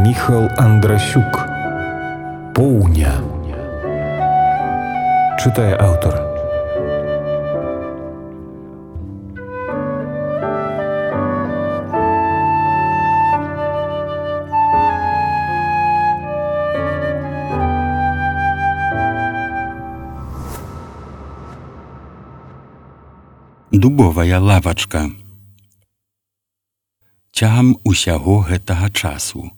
Міхал Андрасюк. Поўня. Чытае аўтар. Дубовая лавачка. Цягам усяго гэтага часу,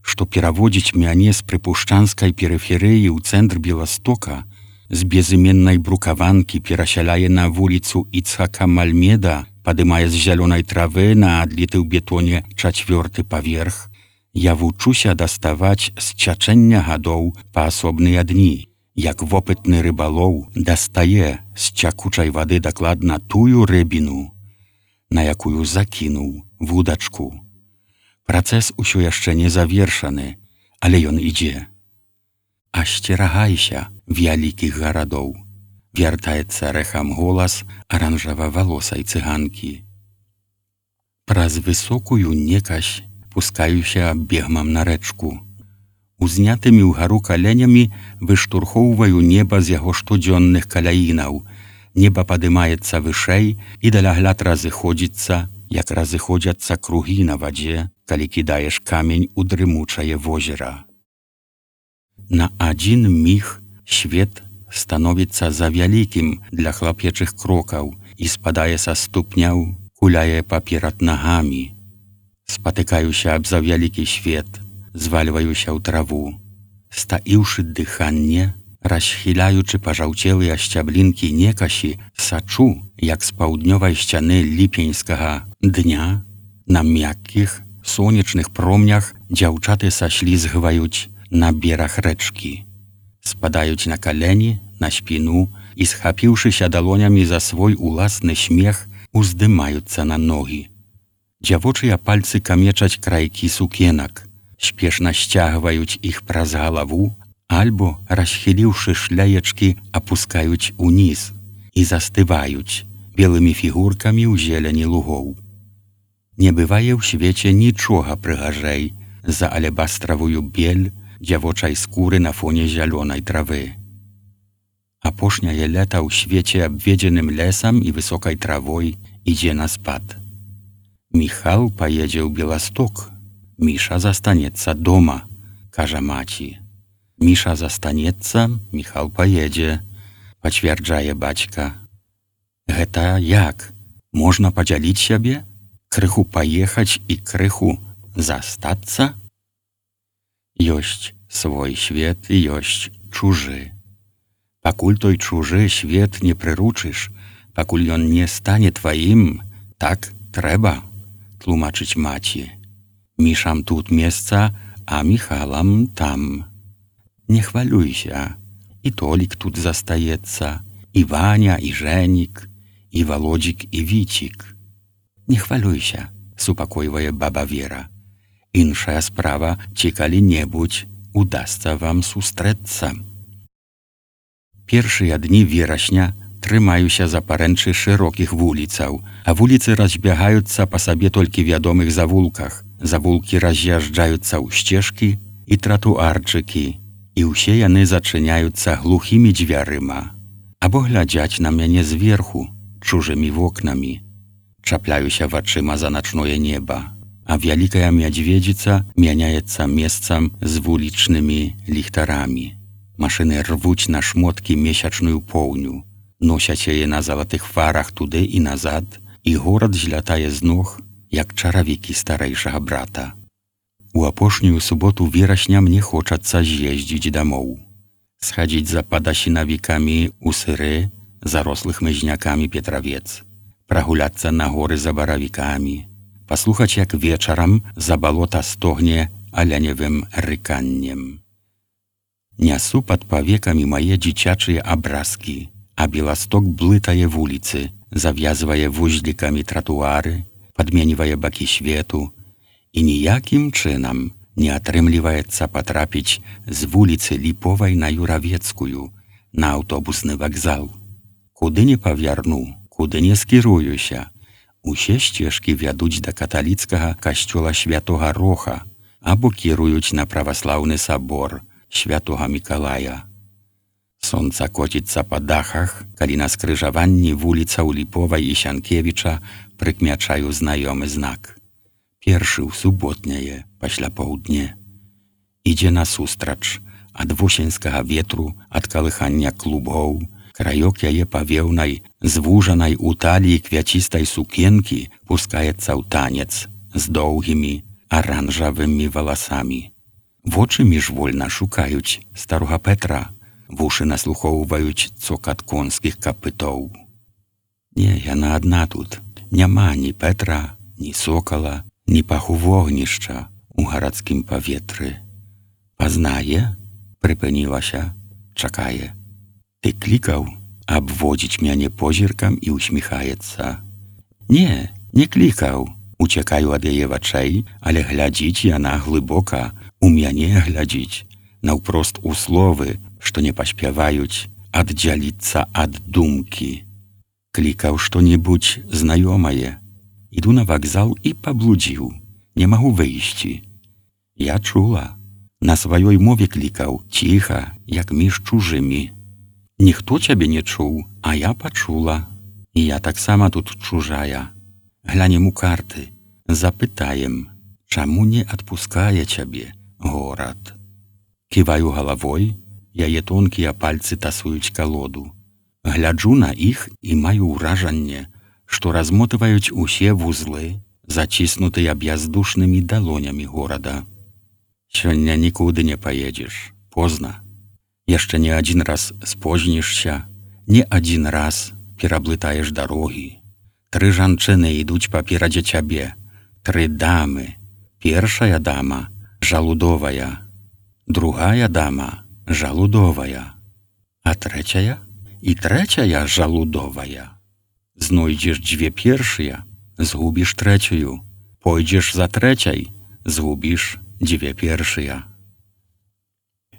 што пераводзіць мяне з прыпушчанскай перыферыі ў цэнтр Беластока, з безыменнай брукаванкі перасяляе на вуліцу Іцхака Мальмеда, падымае з зялёнай травы на адліты ў бетоне 4-й паверх, я вучуся даставаць з цячэння гадоў паасобныя дні, як вопытны рыбалоў дастае з цякучай вады дакладна тую рыбіну, на якую закінуў вудачку. Працэс усё яшчэ не завершаны, але ён ідзе. Асцерагайся вялікіх гарадоў, вяртаецца рэхам голас аранжава-валосай цыганкі. Праз высокую некась пускаюся бегмам на рэчку. Узнятымі ўгару каленямі выштурхоўваю неба з яго штодзённых каляінаў. Неба падымаецца вышэй і далягляд разыходзіцца, як разыходзяцца кругі на вадзе, калі кідаеш камень у дрымучае возера. На адзін міг свет становіцца завялікім для хлапечых крокаў і спадае са ступняў, куляе паперад нагамі. Спатыкаюся аб завялікі свет, звальваюся ў траву. Стаіўшы дыханне, расхіляючы пажаўцелыя сцяблінкі некасі, сачу, як з паўднёвай сцяны ліпеньскага дня на мяккіх, сонечных промнях дзяўчаты саслізгваюць на бераг рэчкі. Спадаюць на калені, на спіну і, схапіўшыся далонямі за свой уласны смех, уздымаюцца на ногі. Дзявочыя пальцы камечаць крайкі сукенак, спешна сцягваюць іх праз галаву, альбо, расхіліўшы шляечкі, апускаюць уніз і застываюць белымі фігуркамі ў зелені лугоў. Не бывае ў свеце нічога прыгажэй за алебастравую бель дзявочай скуры на фоне зялёнай травы. Апошняе лета ў свеце, абведзеным лесам і высокай травой, ідзе на спад. Міхал паедзе ў Беласток, Міша застанецца дома, кажа маці. Міша застанецца, Міхал паедзе, пацвярджае бацька. Гэта як? Можна падзяліць сябе? Крыху паехаць і крыху застацца? Ёсць свой свет і ёсць чужы. Пакуль той чужы свет не прыручыш, пакуль ён не стане тваім, так трэба, тлумачыць маці. Мішам тут месца, а Міхалам там. Не хвалюйся, і Толік тут застаецца, і Ваня, і Жэнік, і Володзік, і Віцік. Не хвалюйся, супакойвае баба Вера. Іншая справа, ці калі-небудзь удасца вам сустрэцца. Першыя дні верасня трымаюся за парэнчы шырокіх вуліцаў, а вуліцы разбягаюцца па сабе толькі вядомых завулках. Завулкі раз'язджаюцца ў сцежкі і тратуарчыкі, і ўсе яны зачыняюцца глухімі дзвярыма, або глядзяць на мяне зверху чужымі вокнамі. Чапляюся вачыма за начное неба, а вялікая мядзведзіца мяняецца месцам з вулічнымі ліхтарамі. Машыны рвуць на шмоткі месячную поўню, носяць яе на залатых фарах туды і назад, і горад злятае з ног, як чаравікі старэйшага брата. У апошнюю суботу верасня мне хочацца з'ездзіць дамоў. Схадзіць за падасінавікамі ў сыры, зарослых мызнякамі Петравец, прагуляцца на горы за баравікамі, паслухаць, як вечарам за балота стогне аляневым рыканнем. Нясу пад павекамі мае дзіцячыя абразкі, а Беласток блытае вуліцы, завязвае вузлікамі тратуары, падменьвае бакі свету, і ніякім чынам не атрымліваецца патрапіць з вуліцы Ліповай на Юравецкую, на аўтобусны вакзал. Куды не павярну, куды не скіруюся, усе сцежкі вядуць да каталіцкага касцёла Святога Роха, або кіруюць на праваслаўны сабор святога Мікалая. Сонца коціцца па дахах, калі на скрыжаванні вуліцаў Ліповай і Сянкевіча прыкмячаю знаёмы знак. Першы ў суботняе пасля паўдне. Ідзе насустрач ад восеньскага ветру, ад калыхання клубоў, краёк яе павеўнай, звужанай у таліі квяцістай сукенкі пускаецца ў танец з доўгімі аранжавымі валасамі. Вочы міжвольна шукаюць старога Петра, вушы наслухоўваюць цокат конскіх капытоў. Не, яна адна тут. Няма ні Петра, ні сокала, ні паху вогнішча ў гарадскім паветры. Пазнае? Прыпынілася, чакае. Ты клікаў? Абводзіць мяне позіркам і усміхаецца. Не, не клікаў. Уцякаю ад яе вачэй, але глядзіць яна глыбока, у мяне глядзіць, наўпрост у словы, што не паспяваюць аддзяліцца ад думкі. Клікаў што-небудзь знаёмае. Іду на вакзал і паблудзіў. Не магу выйсці. Я чула. На сваёй мове клікаў, ціха, як між чужымі. Ніхто цябе не чуў, а я пачула. І я таксама тут чужая. Глянем у карты, запытаем, чаму не адпускае цябе горад. Ківаю галавой, яе тонкія пальцы тасуюць калоду. Гляджу на іх і маю ўражанне, што размотываюць усе вузлы, заціснутыя бяздушнымі далонямі горада. Сёння нікуды не паедзеш, позна. Яшчэ не адзін раз спознішся, не адзін раз пераблытаеш дарогі. 3 жанчыны ідуць паперадзе цябе, 3 дамы. Першая дама жалудовая, другая дама жалудовая, а трэцяя і трэцяя жалудовая. Знойдзеш 2 першыя, згубіш трэцюю, пойдзеш за трэцяй, згубіш 2 першыя.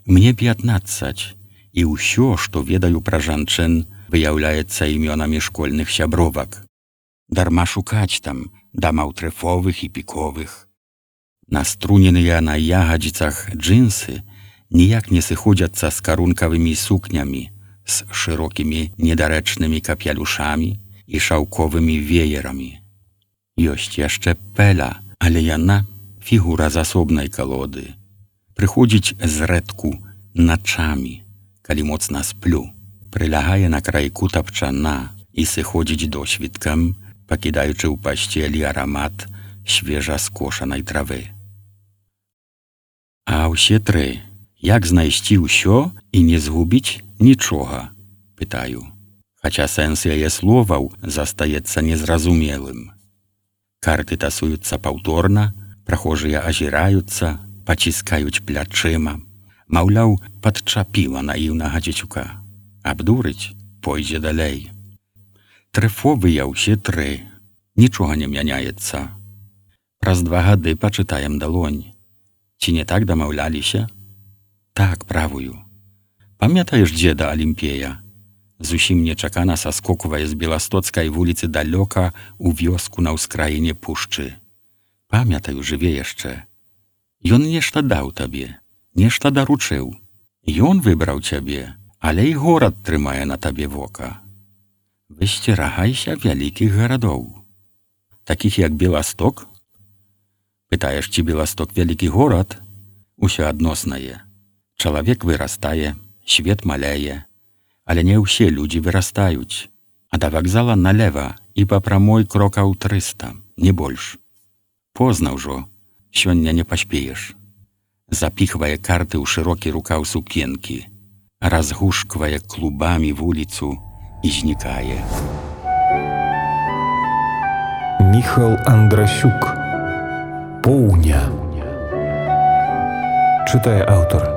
Мне 15, і ўсё, што ведаю пра жанчын, выяўляецца імёнамі школьных сябровак. Дарма шукаць там дамаў трэфовых і піковых. Наструненыя на ягадзіцах джинсы ніяк не сыходзяцца з карункавымі сукнямі, з шырокімі недарэчнымі капялюшамі і шаўковымі веерамі. Ёсць яшчэ Пэля, але яна фігура з асобнай калоды. Прыходзіць зрэдку начамі, калі моцна сплю, прылягае на крайку тапчана і сыходзіць досвіткам, пакідаючы ў пасцелі арамат свежа скошанай травы. А ўсе 3, як знайсці ўсё і не згубіць нічога, пытаю, хаця сэнс яе словаў застаецца незразумелым. Карты тасуюцца паўторна, прахожыя азіраюцца, паціскаюць плячыма, маўляў, падчапіла наіўнага дзецюка. Абдурыць, пойдзе далей. Трэфовыя ўсе 3, нічога не мяняецца. Праз 2 гады пачытаем далонь. Ці не так дамаўляліся? Так, правую. Памятаеш дзеда Алімпея? Зусім нечакана саскоквае з Беластоцкай вуліцы далёка ў вёску на ўскраіне пушчы. Памятаю, жыве яшчэ. Ён нешта даў табе, нешта даручыў. Ён выбраў цябе, але і горад трымае на табе вока. Высцерагайся вялікіх гарадоў. Такіх як Беласток? Пытаеш, ці Беласток вялікі горад? Усё адноснае. Чалавек вырастае, свет маляе, але не ўсе людзі вырастаюць. А да вакзала налева і па прамой крокаў 300, не больш. Позна ўжо, сёння не паспееш. Запіхвае карты ў шырокі рукаў сукенкі, разгушквае клубамі вуліцу і знікае. Міхал Андрасюк. Поўня. Чытае аўтар.